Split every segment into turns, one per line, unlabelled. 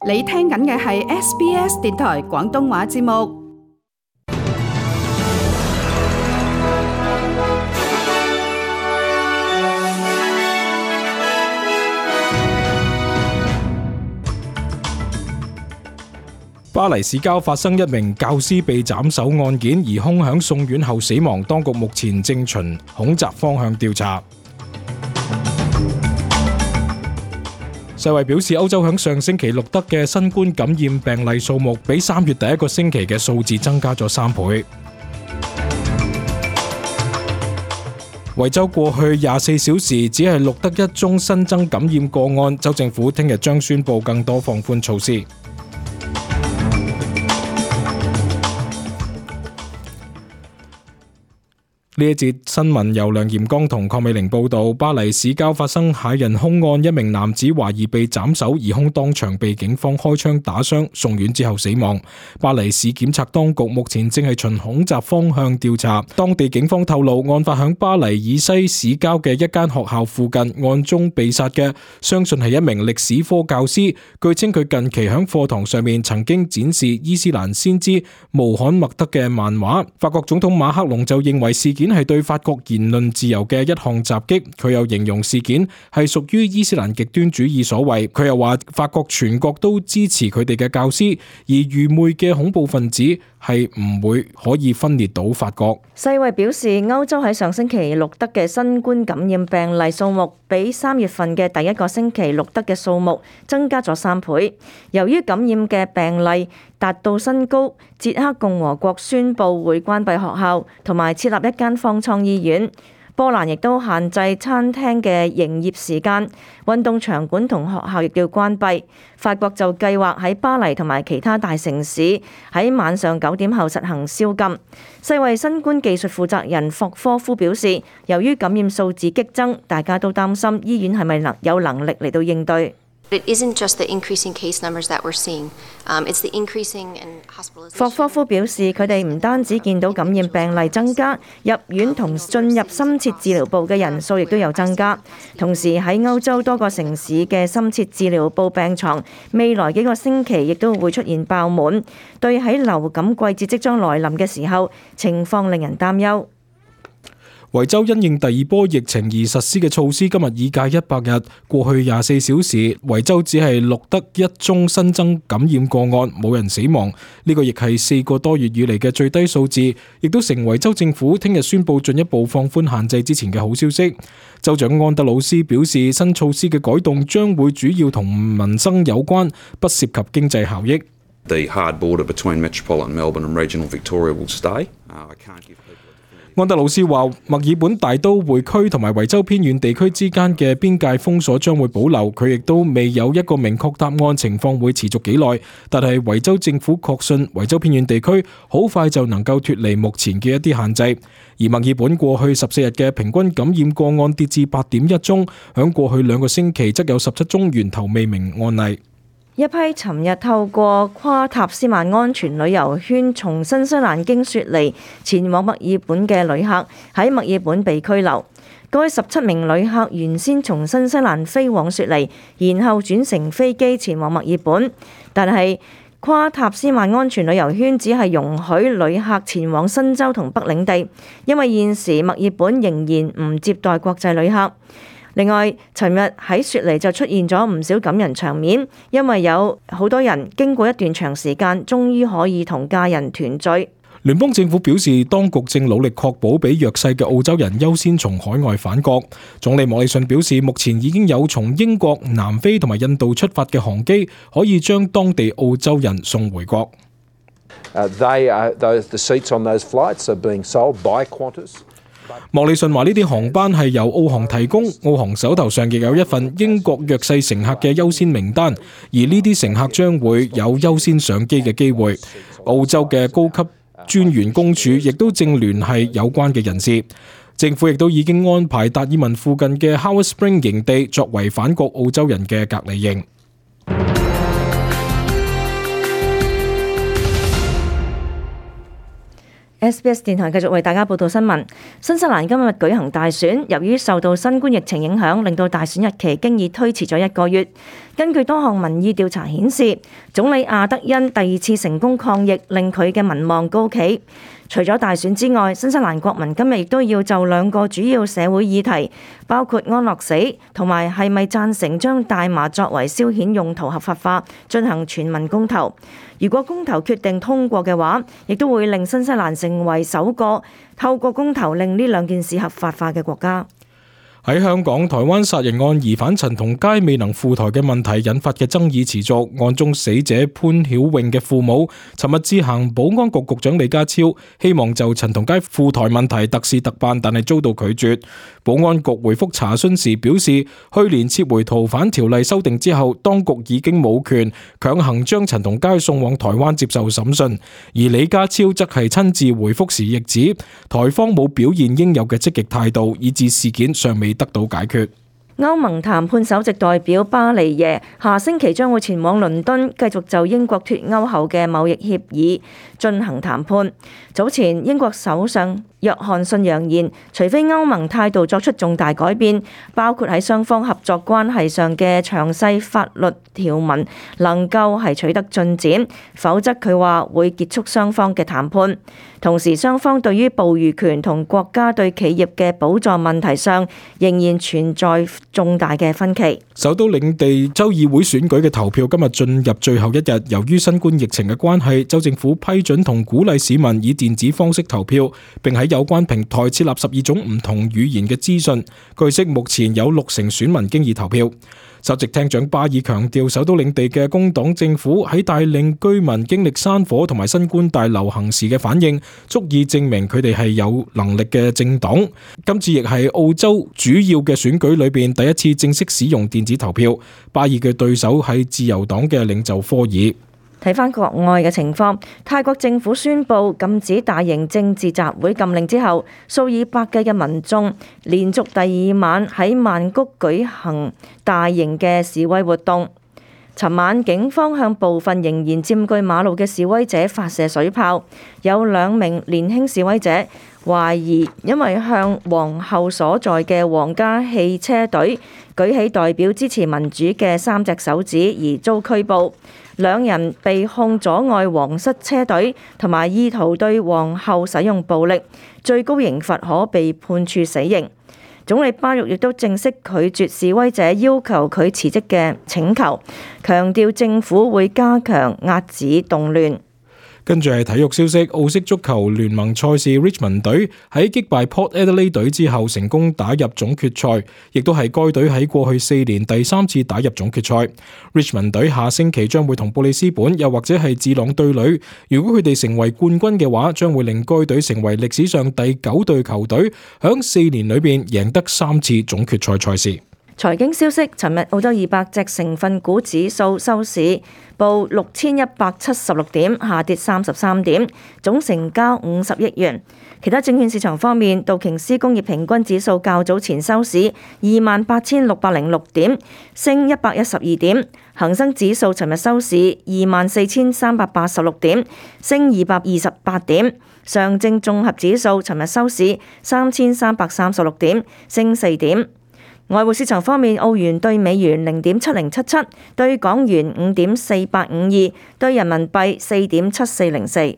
你聽緊嘅係 SBS 電台廣東話節目。
巴黎市郊發生一名教師被斬首案件，疑兇響送院後死亡，當局目前正循恐襲方向調查。世衛表示，歐洲響上星期錄得嘅新冠感染病例數目比3月第一個星期嘅數字增加咗3倍。維州過去24小時只係錄得1宗新增感染個案，州政府聽日將宣布更多放寬措施。呢一節新聞由梁炎光同鄺美玲報道。巴黎市郊發生駭人兇案，一名男子懷疑被斬首，疑兇當場被警方開槍打傷，送院之後死亡。巴黎市檢察當局目前正係循恐襲方向調查。當地警方透露，案發響巴黎以西市郊嘅一間學校附近，案中被殺嘅相信係一名歷史科教師。據稱佢近期響課堂上面曾經展示伊斯蘭先知穆罕默德嘅漫畫。法國總統馬克龍就認為事件係對法國言論自由嘅一項襲擊，佢又形容事件係屬於伊斯蘭極端主義所為。佢又話法國全國都支持佢哋嘅教師，而愚昧嘅恐怖分子係唔會可以分裂到法國。
世衛表示，歐洲喺上星期錄得嘅新冠感染病例數目比3月份嘅第一個星期錄得嘅數目增加咗3倍。由於感染嘅病例達到新高，捷克共和國宣布會關閉學校同埋設立一間方艙醫院。波蘭亦都限制餐廳嘅營業時間，運動場館同學校亦要關閉。法國就計劃喺巴黎同埋其他大城市喺晚上9點後實行宵禁。世衛新冠技術負責人霍科夫表示，由於感染數字激增，大家都擔心醫院係咪有能力嚟到應對。
It isn't just the increasing case numbers that we're seeing. It's the increasing in hospitalization.
霍科夫表示，佢哋唔單止見到感染病例增加，入院同進入深切治療部嘅人數亦都有增加。同時喺歐洲多個城市嘅深切治療部病床，未來幾個星期亦都會出現爆滿，對喺流感季節即將來臨嘅時候，情況令人擔憂。
維州因應第二波疫情而實施嘅措施，今日已屆100日。過去24小時，維州只係錄得1宗新增感染個案，冇人死亡。呢個亦係4個多月以嚟嘅最低數字，亦都成為州政府聽日宣布進一步放寬限制之前嘅好消息。州長安德魯斯表示，新措施嘅改動將會主要同民生有關，不涉及經濟效益。
The hard border between metropolitan Melbourne and regional Victoria will stay. I can't give people.
安德魯斯話，墨爾本大都會區同埋維州偏遠地區之間嘅邊界封鎖將會保留，佢亦都未有一個明確答案，情況會持續幾耐。但係維州政府確信維州偏遠地區好快就能夠脫離目前嘅一啲限制。而墨爾本過去14日嘅平均感染個案跌至8.1宗，響過去2個星期則有17宗源頭未明案例。
一批尋日透過跨塔斯曼安全旅遊圈從新西蘭經雪梨前往墨爾本嘅旅客喺墨爾本被拘留。該17名旅客原先從新西蘭飛往雪梨，然後轉乘飛機前往墨爾本，但係跨塔斯曼安全旅遊圈只係容許旅客前往新州同北領地，因為現時墨爾本仍然唔接待國際旅客。另外，尋日喺雪梨就出現咗唔少感人場面，因為有好多人經過一段長時間，終於可以同家人團聚。
聯邦政府表示，當局正努力確保比弱勢嘅澳洲人優先從海外返國。總理莫里遜表示，目前已經有從英國、南非同埋印度出發嘅航機，可以將當地澳洲人送回國。
The seats on those flights are being sold by Qantas.
莫里遜話呢啲航班係由澳航提供，澳航手頭上亦有一份英國弱勢乘客嘅優先名單，而呢啲乘客將會有優先上機嘅機會。澳洲嘅高級專員公署亦都正聯繫有關嘅人士。政府亦都已經安排達爾文附近嘅 Howard Spring 營地作為返國澳洲人嘅隔離營。
SBS 電台繼續為大家報道新聞。新西蘭今日舉行大選，由於受到新冠疫情影響，令到大選日期經已推遲咗1個月。根據多項民意調查顯示，總理阿德恩第2次成功抗疫，令佢嘅民望高企。除咗大選之外，新西蘭國民今日亦都要就2個主要社會議題，包括安樂死同埋係咪贊成將大麻作為消遣用途合法化，進行全民公投。如果公投決定通過嘅話，亦都會令新西蘭成為首個透過公投令呢2件事合法化嘅國家。
喺香港，台灣殺人案疑犯陳同佳未能赴台嘅問題引發嘅爭議持續。案中死者潘曉穎嘅父母尋日致函保安局局長李家超，希望就陳同佳赴台問題特事特辦，但係遭到拒絕。保安局回覆查詢時表示，去年撤回逃犯條例修訂之後，當局已經冇權強行將陳同佳送往台灣接受審訊。而李家超則係親自回覆時亦指，台方冇表現應有嘅積極態度，以致事件尚未得到解決。
歐盟談判首席代表巴尼耶下星期將會前往倫敦，繼續就英國脫歐後嘅貿易協議進行談判。早前英國首相約翰遜揚言，除非歐盟態度作出重大改變，包括喺雙方合作關係上嘅詳細法律條文能夠係取得進展，否則佢話會結束雙方嘅談判。同時，雙方對於捕魚權同國家對企業嘅補助問題上仍然存在重大嘅分歧。
首都領地州議會選舉嘅投票今日進入最後一日，由於新冠疫情嘅關係，州政府批准同鼓勵市民以電子方式投票，並喺有關平台設立12種唔同語言嘅資訊。據悉，目前有60%選民經已投票。首席廳長巴爾強調，首都領地嘅工黨政府喺帶領居民經歷山火同埋新冠大流行時嘅反應，足以證明佢哋係有能力嘅政黨。今次亦係澳洲主要嘅選舉裏邊第一次正式使用電子投票。巴爾嘅對手係自由黨嘅領袖科爾。
睇返國外嘅情況，泰國政府宣布禁止大型政治集會禁令之後，數以百計嘅民眾連續第2晚喺曼谷舉行大型嘅示威活動。尋晚警方向部分仍然佔據馬路嘅示威者發射水炮，有2名年輕示威者懷疑因為向皇后所在嘅皇家汽車隊舉起代表支持民主嘅3隻手指而遭拘捕。2人被控阻礙皇室車隊同埋意圖對皇后使用暴力，最高刑罰可被判處死刑。總理巴育亦都正式拒絕示威者要求佢辭職嘅請求，強調政府會加強遏止動亂。
跟住係體育消息，澳式足球聯盟賽事 Richmond 隊喺擊敗 Port Adelaide 隊之後成功打入總決賽，亦都係該隊喺過去4年第3次打入總決賽。Richmond 隊下星期將會同布里斯本又或者係智朗對壘，如果佢哋成為冠軍嘅話，將會令該隊成為歷史上第9隊球隊響4年裏邊贏得3次總決賽賽事。
財經消息，尋日澳洲200隻成分股指數收市報6176點，下跌33點，總成交50億元。其他證券市場方面，道瓊斯工業平均指數較早前收市28,606點，升112點；恒生指數尋日收市24,386點，升228點；上證綜合指數尋日收市3,336點，升4點。外匯市場方面，澳元對美元0.7077，對港元5.4852，對人民幣4.7404。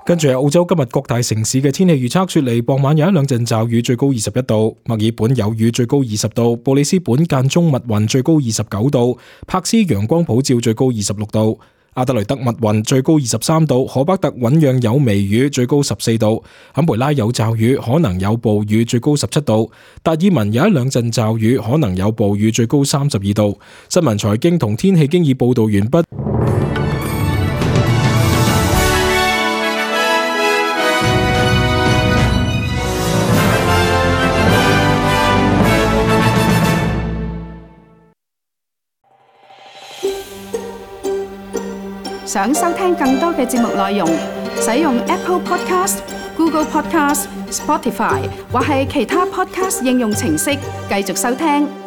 跟住係澳洲今日各大城市嘅天氣預測，雪梨傍晚有1-2陣驟雨，最高21度；墨爾本有雨，最高20度；布里斯本間中密雲，最高29度；柏斯陽光普照，最高26度。阿德雷德密雲，最高23度；荷巴特醞釀有微雨，最高14度；坎培拉有驟雨，可能有暴雨，最高17度；達爾文有1-2陣驟雨，可能有暴雨，最高32度。新聞財經同天氣經已報道完畢。
想收聽更多嘅節目內容，使用 Apple Podcast、Google Podcast、Spotify 或係其他 Podcast 應用程式繼續收聽。